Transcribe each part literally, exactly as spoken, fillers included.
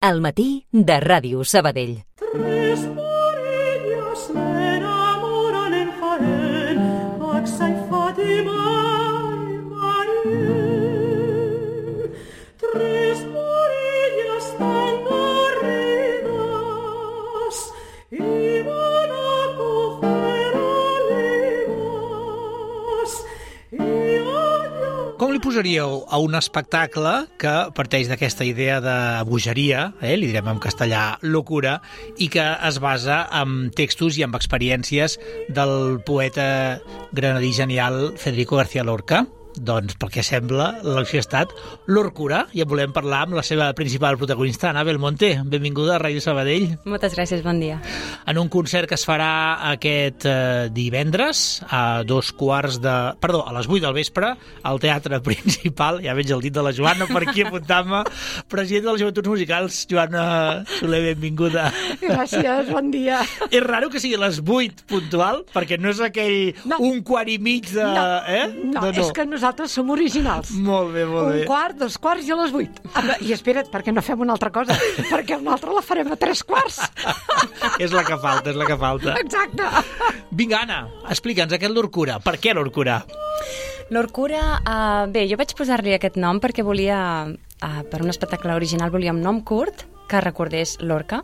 Al matí de Ràdio Sabadell. Tres morillas me enamoran en Jaén, Axa y Fátima y María. Tres morillas tan arribas iban a coger olivas y allá... Com li posaríeu a un espectacle que parteix d'aquesta idea de bogeria, eh, li direm en castellà locura, i que es basa en textos i en experiències del poeta granadí genial Federico García Lorca? Doncs, pel que sembla, l'acció ha estat Lorcura, i en volem parlar amb la seva principal protagonista, Ana Belmonte. Benvinguda a Ràdio Sabadell. Moltes gràcies, bon dia. En un concert que es farà aquest eh, divendres a dos quarts de... Perdó, a les vuit del vespre, al Teatre Principal. Ja veig el dit de la Joana per aquí apuntant-me. Presidenta de les Joventuts Musicals, Joana Soler, benvinguda. Gràcies, bon dia. És raro que sigui a les vuit puntual, perquè no és aquell no. un quart i mig de... No, eh? no, no, és que nosaltres som originals. Molt bé, molt bé. Un quart, dos quarts i a les vuit. I espera't, perquè no fem una altra cosa, perquè una altra la farem a tres quarts. És la que falta, és la que falta. Exacte. Vinga, Anna, explica'ns aquest Lorcura. Per què Lorcura? Lorcura, uh, bé, jo vaig posar-li aquest nom perquè volia, uh, per un espectacle original, volia un nom curt que recordés Lorca,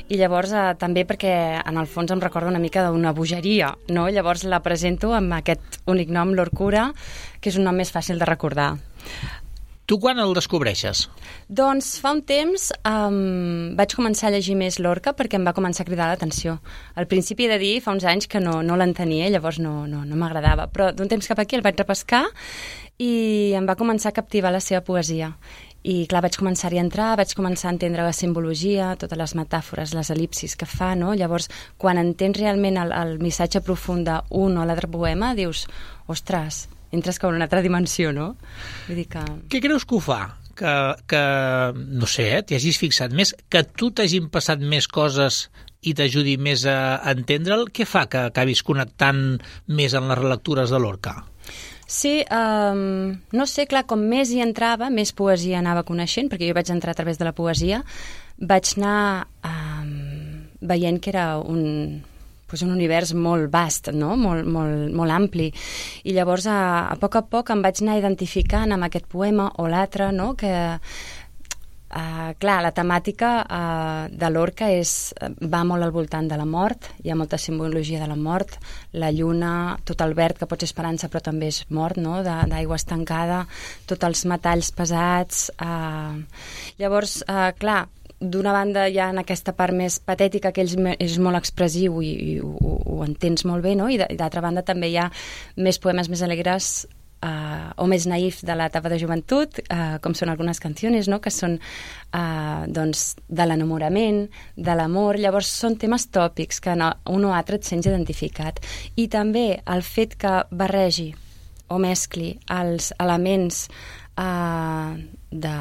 i llavors eh, també perquè en el fons em recorda una mica d'una bogeria, no? Llavors la presento amb aquest únic nom, Lorcura, que és un nom més fàcil de recordar. Tu quan el descobreixes? Doncs fa un temps um, vaig començar a llegir més Lorca perquè em va començar a cridar l'atenció. Al principi he de dir, fa uns anys que no, no l'entenia, llavors no, no, no m'agradava, però d'un temps cap aquí el vaig repescar i em va començar a captivar la seva poesia. I clar, vaig començar-hi a entrar, vaig començar a entendre la simbologia, totes les metàfores, les el·lipsis que fa, no? Llavors, quan entens realment el, el missatge profund d'un o l'altre poema, dius, ostres, entres com en una altra dimensió, no? Vull dir que... Què creus que ho fa? Que, que no sé, eh, t'hi hagis fixat més, que tu t'hagin passat més coses i t'ajudi més a entendre'l? Què fa que acabis connectant més en les relectures de Lorca? Sí, um, no sé, clar, com més hi entrava, més poesia anava coneixent, perquè jo vaig entrar a través de la poesia, vaig anar um, veient que era un, pues un univers molt vast, no? molt, molt, molt ampli, i llavors a, a poc a poc em vaig anar identificant amb aquest poema o l'altre, no? que Uh, clar, la temàtica uh, de Lorca és, va molt al voltant de la mort, hi ha molta simbologia de la mort, la lluna, tot el verd que pot ser esperança però també és mort, no? D'aigua estancada, tots els metalls pesats. Uh, llavors, uh, clar, d'una banda hi ha en aquesta part més patètica que ell és molt expressiu i, i ho, ho entens molt bé, no? I d'altra banda també hi ha més poemes més alegres Uh, o més naïf de l'etapa de joventut, uh, com són algunes canciones, no? Que són uh, doncs, de l'enamorament, de l'amor. Llavors són temes tòpics que no, un o altre et sents identificat. I també el fet que barregi o mescli els elements uh, de,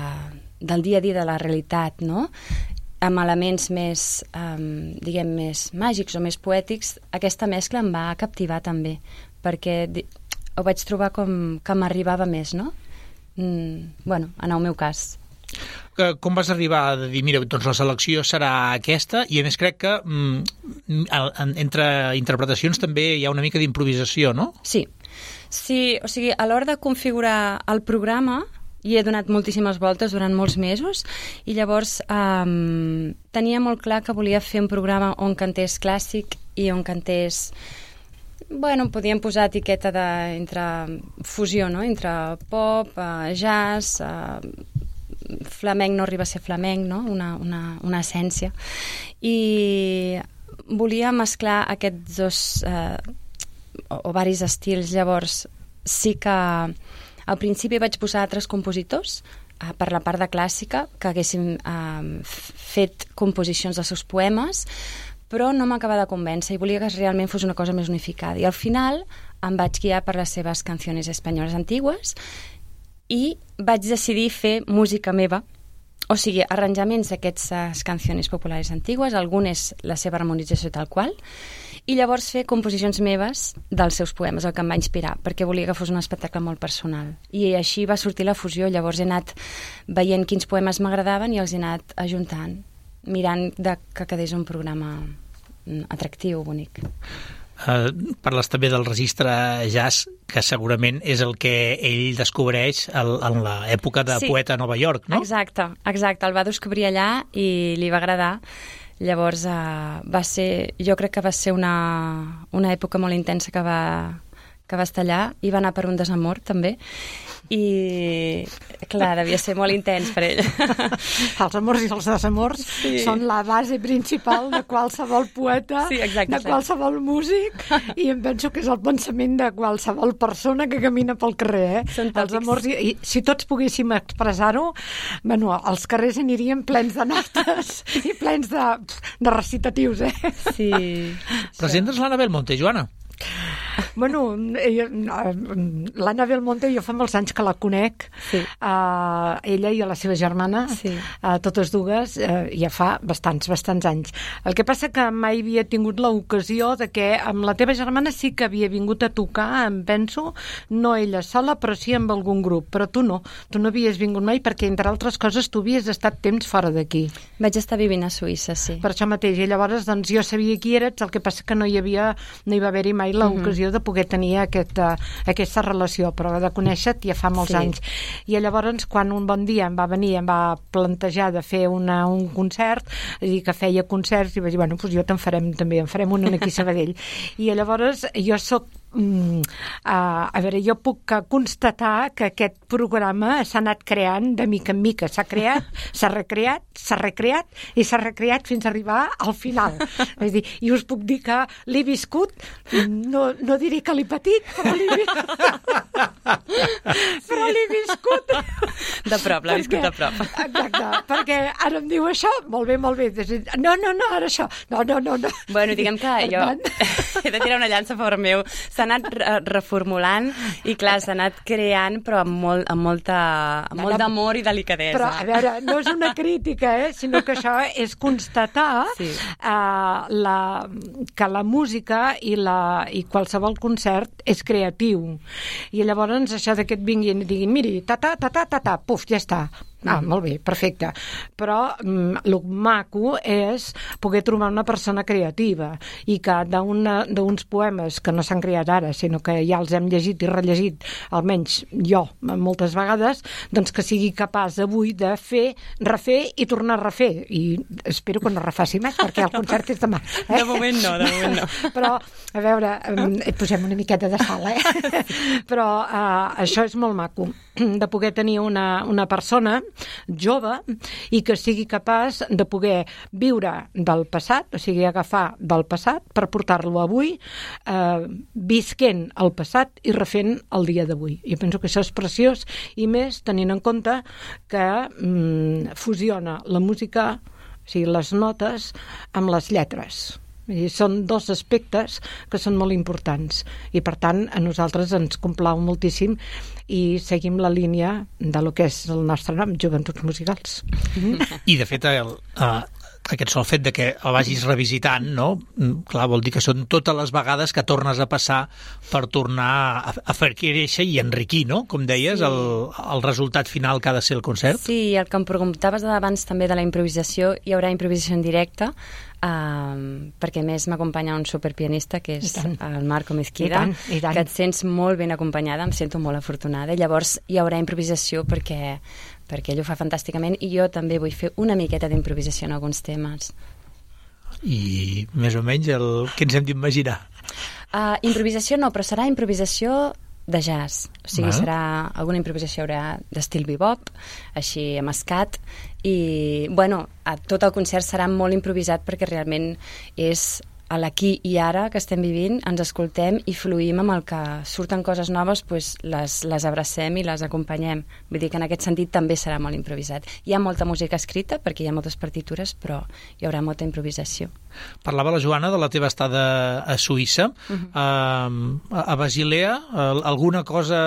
del dia a dia de la realitat, no? Amb elements més, um, diguem, més màgics o més poètics, aquesta mescla em va captivar també, perquè ho vaig trobar com que m'arribava més, no? Mm, bueno, en el meu cas. Com vas arribar a dir, mira, doncs la selecció serà aquesta, i a més crec que mm, entre interpretacions també hi ha una mica d'improvisació, no? Sí, sí, o sigui, a l'hora de configurar el programa hi he donat moltíssimes voltes durant molts mesos i llavors um, tenia molt clar que volia fer un programa on cantés clàssic i on cantés... Bueno, podíem posar etiqueta de, entre fusió, no? Entre pop, uh, jazz, uh, flamenc no arriba a ser flamenc, no? Una, una, una essència. I volia mesclar aquests dos uh, o, o varis estils. Llavors, sí que al principi vaig posar altres compositors uh, per la part de clàssica que haguessin uh, fet composicions dels seus poemes, però no m'acaba de convèncer i volia que realment fos una cosa més unificada. I al final em vaig guiar per les seves canciones espanyoles antigues i vaig decidir fer música meva, o sigui, arranjaments d'aquestes canciones populares antigues, algunes la seva harmonització tal qual, i llavors fer composicions meves dels seus poemes, el que em va inspirar, perquè volia que fos un espectacle molt personal. I així va sortir la fusió. Llavors he anat veient quins poemes m'agradaven i els he anat ajuntant, mirant de que quedés un programa atractiu, bonic. Uh, parles també del registre jazz, que segurament és el que ell descobreix el, en l'època de sí, poeta a Nova York, no? Exacte, exacte. El va descobrir allà i li va agradar. Llavors uh, va ser, jo crec que va ser una, una època molt intensa que va, que va estar allà, i va anar per un desamor també, i clar, devia ser molt intens per ell. Els amors i els desamors sí. són la base principal de qualsevol poeta, sí, exacte, de qualsevol músic, i em penso que és el pensament de qualsevol persona que camina pel carrer. Eh? Els amors, i, i si tots poguéssim expressar-ho, bueno, els carrers anirien plens de notes i plens de, de recitatius. Eh? Sí. Presentes l'Anna Belmonte, Joana. Bueno, l'Anna Belmonte jo fa molts anys que la conec, sí. uh, ella i a la seva germana, sí. uh, totes dues, uh, ja fa bastants, bastants anys. El que passa que mai havia tingut l'ocasió de que amb la teva germana sí que havia vingut a tocar, em penso, no ella sola, però sí amb algun grup, però tu no, tu no havies vingut mai perquè, entre altres coses, tu havies estat temps fora d'aquí. Vaig estar vivint a Suïssa, sí. Per això mateix, i llavors doncs, jo sabia qui eres, el que passa que no hi havia, no hi va haver-hi mai l'ocasió de poder tenir aquesta, aquesta relació, però de conèixer-te ja fa molts sí. anys. I llavors, quan un bon dia em va venir, em va plantejar de fer una, un concert, dir que feia concerts, i vaig dir, bueno, doncs jo te'n farem també, en farem un aquí a Sabadell. I llavors, jo soc Mm, uh, a veure, jo puc constatar que aquest programa s'ha anat creant de mica en mica, s'ha creat, s'ha recreat, s'ha recreat i s'ha recreat fins a arribar al final. És dir, i us puc dir que l'he viscut, no, no diré que l'he patit, però l'he viscut. però l'he viscut. De prop, l'ha viscut de prop. Exacte, perquè ara em diu això, molt bé, molt bé. No, no, no, ara això. No, no, no. no. Bueno, diguem que jo he de tirar una llança a favor meu. S'ha anat reformulant i, clar, s'ha anat creant, però amb molt, amb molta, amb molt d'amor i delicadesa. Però, a veure, no és una crítica, eh? Sinó que això és constatar sí. uh, la, que la música i, la, i qualsevol concert és creatiu. I llavors això de que et vinguin i diguin, miri, ta-ta, ta-ta, ta-ta, puf, ja està. Ah, molt bé, perfecte. Però mm, el maco és poder trobar una persona creativa i que d'uns poemes que no s'han creat ara, sinó que ja els hem llegit i rellegit, almenys jo, moltes vegades, doncs que sigui capaç avui de fer, refer i tornar a refer. I espero que no refaci més, perquè el concert és demà. Eh? De moment no, de moment no. Però, a veure, eh, posem una miqueta de sal, eh? Però eh, això és molt maco, de poder tenir una, una persona jove i que sigui capaç de poder viure del passat, o sigui, agafar del passat per portar-lo avui, eh, visquent el passat i refent el dia d'avui. Jo penso que això és preciós, i més tenint en compte que mm, fusiona la música, o sigui, les notes, amb les lletres. I són dos aspectes que són molt importants i, per tant, a nosaltres ens complau moltíssim i seguim la línia de lo que és el nostre nom, Joventuts Musicals. I, de fet, el, uh, aquest sol fet de que el vagis revisitant, no? Clar, vol dir que són totes les vegades que tornes a passar per tornar a, a fer créixer i enriquir, no? Com deies, sí. el, el resultat final que ha de ser el concert. Sí, el que em preguntaves abans també de la improvisació, hi haurà improvisació en directe, Um, perquè a més m'acompanya un superpianista que és el Marco Mezquida, I tant, i tant. que et sents molt ben acompanyada, em sento molt afortunada, i llavors hi haurà improvisació perquè, perquè ell ho fa fantàsticament i jo també vull fer una miqueta d'improvisació en alguns temes. I més o menys el que ens hem d'imaginar? Uh, improvisació no, però serà improvisació de jazz, o sigui, ah. serà alguna improvisació haurà d'estil bebop, així amb scat, i, bueno, a tot el concert serà molt improvisat perquè realment és a l'aquí i ara que estem vivint, ens escoltem i fluïm amb el que surten coses noves, doncs les, les abracem i les acompanyem. Vull dir que en aquest sentit també serà molt improvisat. Hi ha molta música escrita perquè hi ha moltes partitures, però hi haurà molta improvisació. Parlava la Joana de la teva estada a Suïssa. Uh-huh. uh, a Basilea, uh, alguna cosa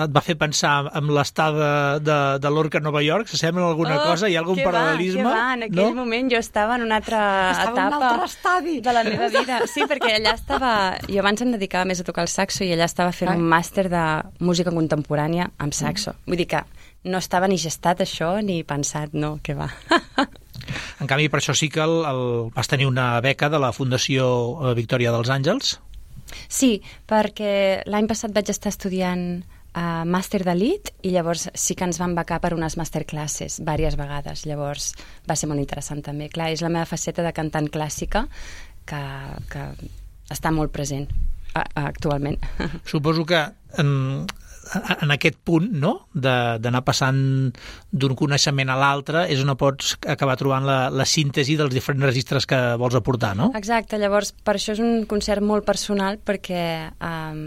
et va fer pensar en l'estada de, de l'Orca a Nova York? S'assembla alguna oh, cosa? Hi ha algun paral·lelisme? Va, que va, en aquell no? moment jo estava en una altra estava etapa en un altre estadi. De la meva vida. Sí, perquè allà estava... Jo abans em dedicava més a tocar el saxo i allà estava fent un màster de música contemporània amb saxo. Vull dir que no estava ni gestat això ni pensat, no, que va. En canvi, per això sí que el, el, vas tenir una beca de la Fundació Victòria dels Àngels. Sí, perquè l'any passat vaig estar estudiant Uh, màster d'elit i llavors sí que ens van becar per unes masterclasses diverses vegades, llavors va ser molt interessant també. Clar, és la meva faceta de cantant clàssica que, que està molt present uh, actualment. Suposo que en, en aquest punt, no?, d'anar passant d'un coneixement a l'altre és on pots acabar trobant la, la síntesi dels diferents registres que vols aportar, no? Exacte, llavors per això és un concert molt personal perquè um,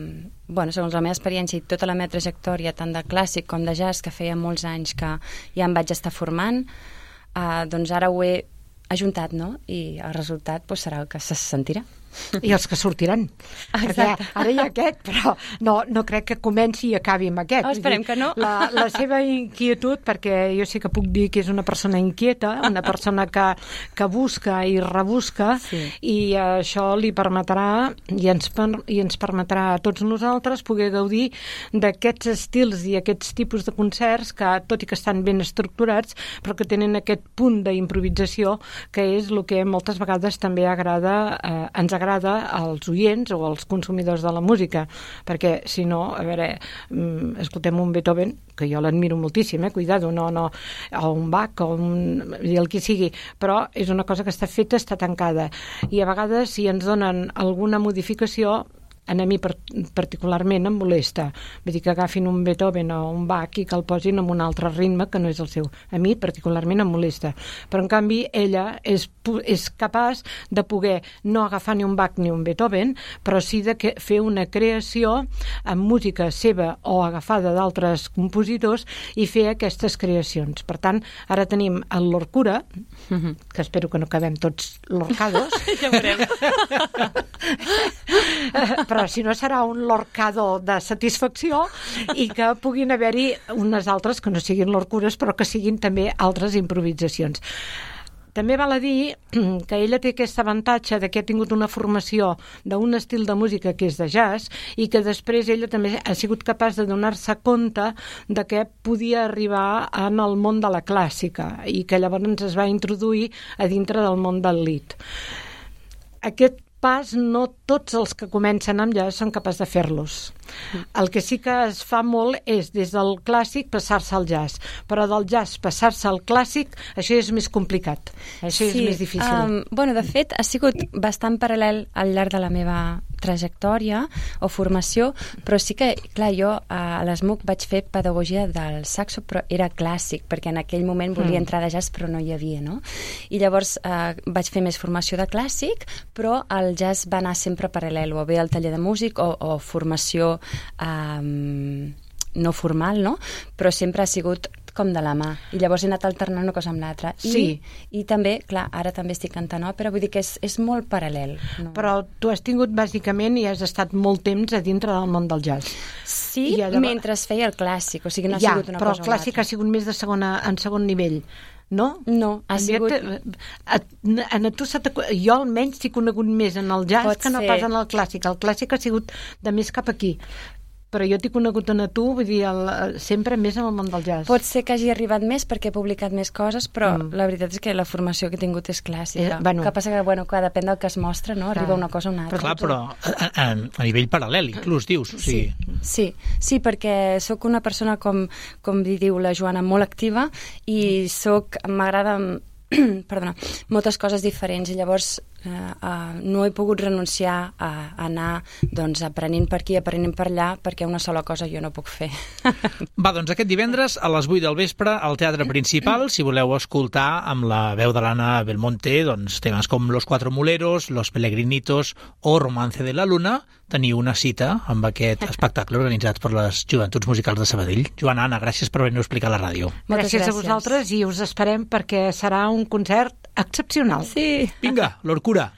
bueno, segons la meva experiència i tota la meva trajectòria, tant de clàssic com de jazz, que feia molts anys que ja em vaig estar formant, eh, doncs ara ho he ajuntat, no? I el resultat doncs, serà el que se sentirà. I els que sortiran. Exacte. Ara hi ha aquest, però no, no crec que comenci i acabi amb aquest. Oh, esperem que no. La, la seva inquietud, perquè jo sí que puc dir que és una persona inquieta, una persona que, que busca i rebusca, sí. I això li permetrà i ens, i ens permetrà a tots nosaltres poder gaudir d'aquests estils i aquests tipus de concerts que, tot i que estan ben estructurats, però que tenen aquest punt d'improvisació que és el que moltes vegades també agrada, eh, ens agrada agrada als oients o als consumidors de la música, perquè si no, a veure, escoltem un Beethoven, que jo l'admiro moltíssim, eh, cuidado, no, no, o un Bach, o un, el que sigui, però és una cosa que està feta, està tancada, i a vegades si ens donen alguna modificació, a mi particularment em molesta. Vull dir que agafin un Beethoven o un Bach i que el posin en un altre ritme que no és el seu. A mi particularment em molesta. Però en canvi ella és, és capaç de poder no agafar ni un Bach ni un Beethoven, però sí de que, fer una creació amb música seva o agafada d'altres compositors i fer aquestes creacions. Per tant, ara tenim el Lorcura, mm-hmm. que espero que no quedem tots lorcados. Ja veurem. Però si no serà un lorcado de satisfacció i que puguin haver-hi unes altres que no siguin lorcures però que siguin també altres improvisacions. També val a dir que ella té aquest avantatge de que ha tingut una formació d'un estil de música que és de jazz i que després ella també ha sigut capaç de donar-se compte de que podia arribar en el món de la clàssica i que llavors es va introduir a dintre del món del lied. Aquest pas no tots els que comencen amb jazz són capaços de fer-los. El que sí que es fa molt és des del clàssic passar-se al jazz, però del jazz passar-se al clàssic, això és més complicat, això sí, és més difícil. Um, bueno, de fet, ha sigut bastant paral·lel al llarg de la meva trajectòria o formació, però sí que, clar, jo a l'ESMUC vaig fer pedagogia del saxo, però era clàssic, perquè en aquell moment volia mm. entrar de jazz, però no hi havia, no? I llavors eh, vaig fer més formació de clàssic, però el jazz va anar sempre paral·lel, o bé al taller de músic o, o formació eh, no formal, no? Però sempre ha sigut com de la mà. I llavors he anat alternant una cosa amb l'altra. I, sí. I també, clar, ara també estic cantant òpera, vull dir que és, és molt paral·lel. No? Però tu has tingut, bàsicament, i has estat molt temps a dintre del món del jazz. Sí, llavors... mentre es feia el clàssic, o sigui, no ha ja, sigut una però cosa el clàssic ha sigut més de segona, en segon nivell. No? No, ha sigut... A, a, a tu jo almenys t'he conegut més en el jazz Pot que no ser. Pas en el clàssic. El clàssic ha sigut de més cap aquí. Però jo t'he conegut a tu, vull dir, el, sempre més en el món del jazz. Pot ser que hagi arribat més perquè he publicat més coses, però mm. la veritat és que la formació que he tingut és clàssica. Eh, bueno. Que passa que, bueno, que depèn del que es mostra, no? Arriba una cosa o una altra. Però, clar, però a, a, a nivell paral·lel, inclús, dius. O sigui... sí, sí, sí, perquè sóc una persona, com, com diu la Joana, molt activa i sóc, m'agrada... perdona, moltes coses diferents i llavors eh, uh, no he pogut renunciar a, a anar doncs, aprenent per aquí, aprenent per allà, perquè una sola cosa jo no puc fer. Va, doncs aquest divendres a les vuit del vespre al Teatre Principal, si voleu escoltar amb la veu de l'Anna Belmonte doncs, temes com Los Cuatro Muleros, Los Pelegrinitos o Romance de la Luna, teniu una cita amb aquest espectacle organitzat per les Joventuts Musicals de Sabadell. Joana, Anna, gràcies per venir a explicar a la ràdio. Gràcies, gràcies a vosaltres i us esperem perquè serà un concert excepcional. Sí. Vinga, Lorcura.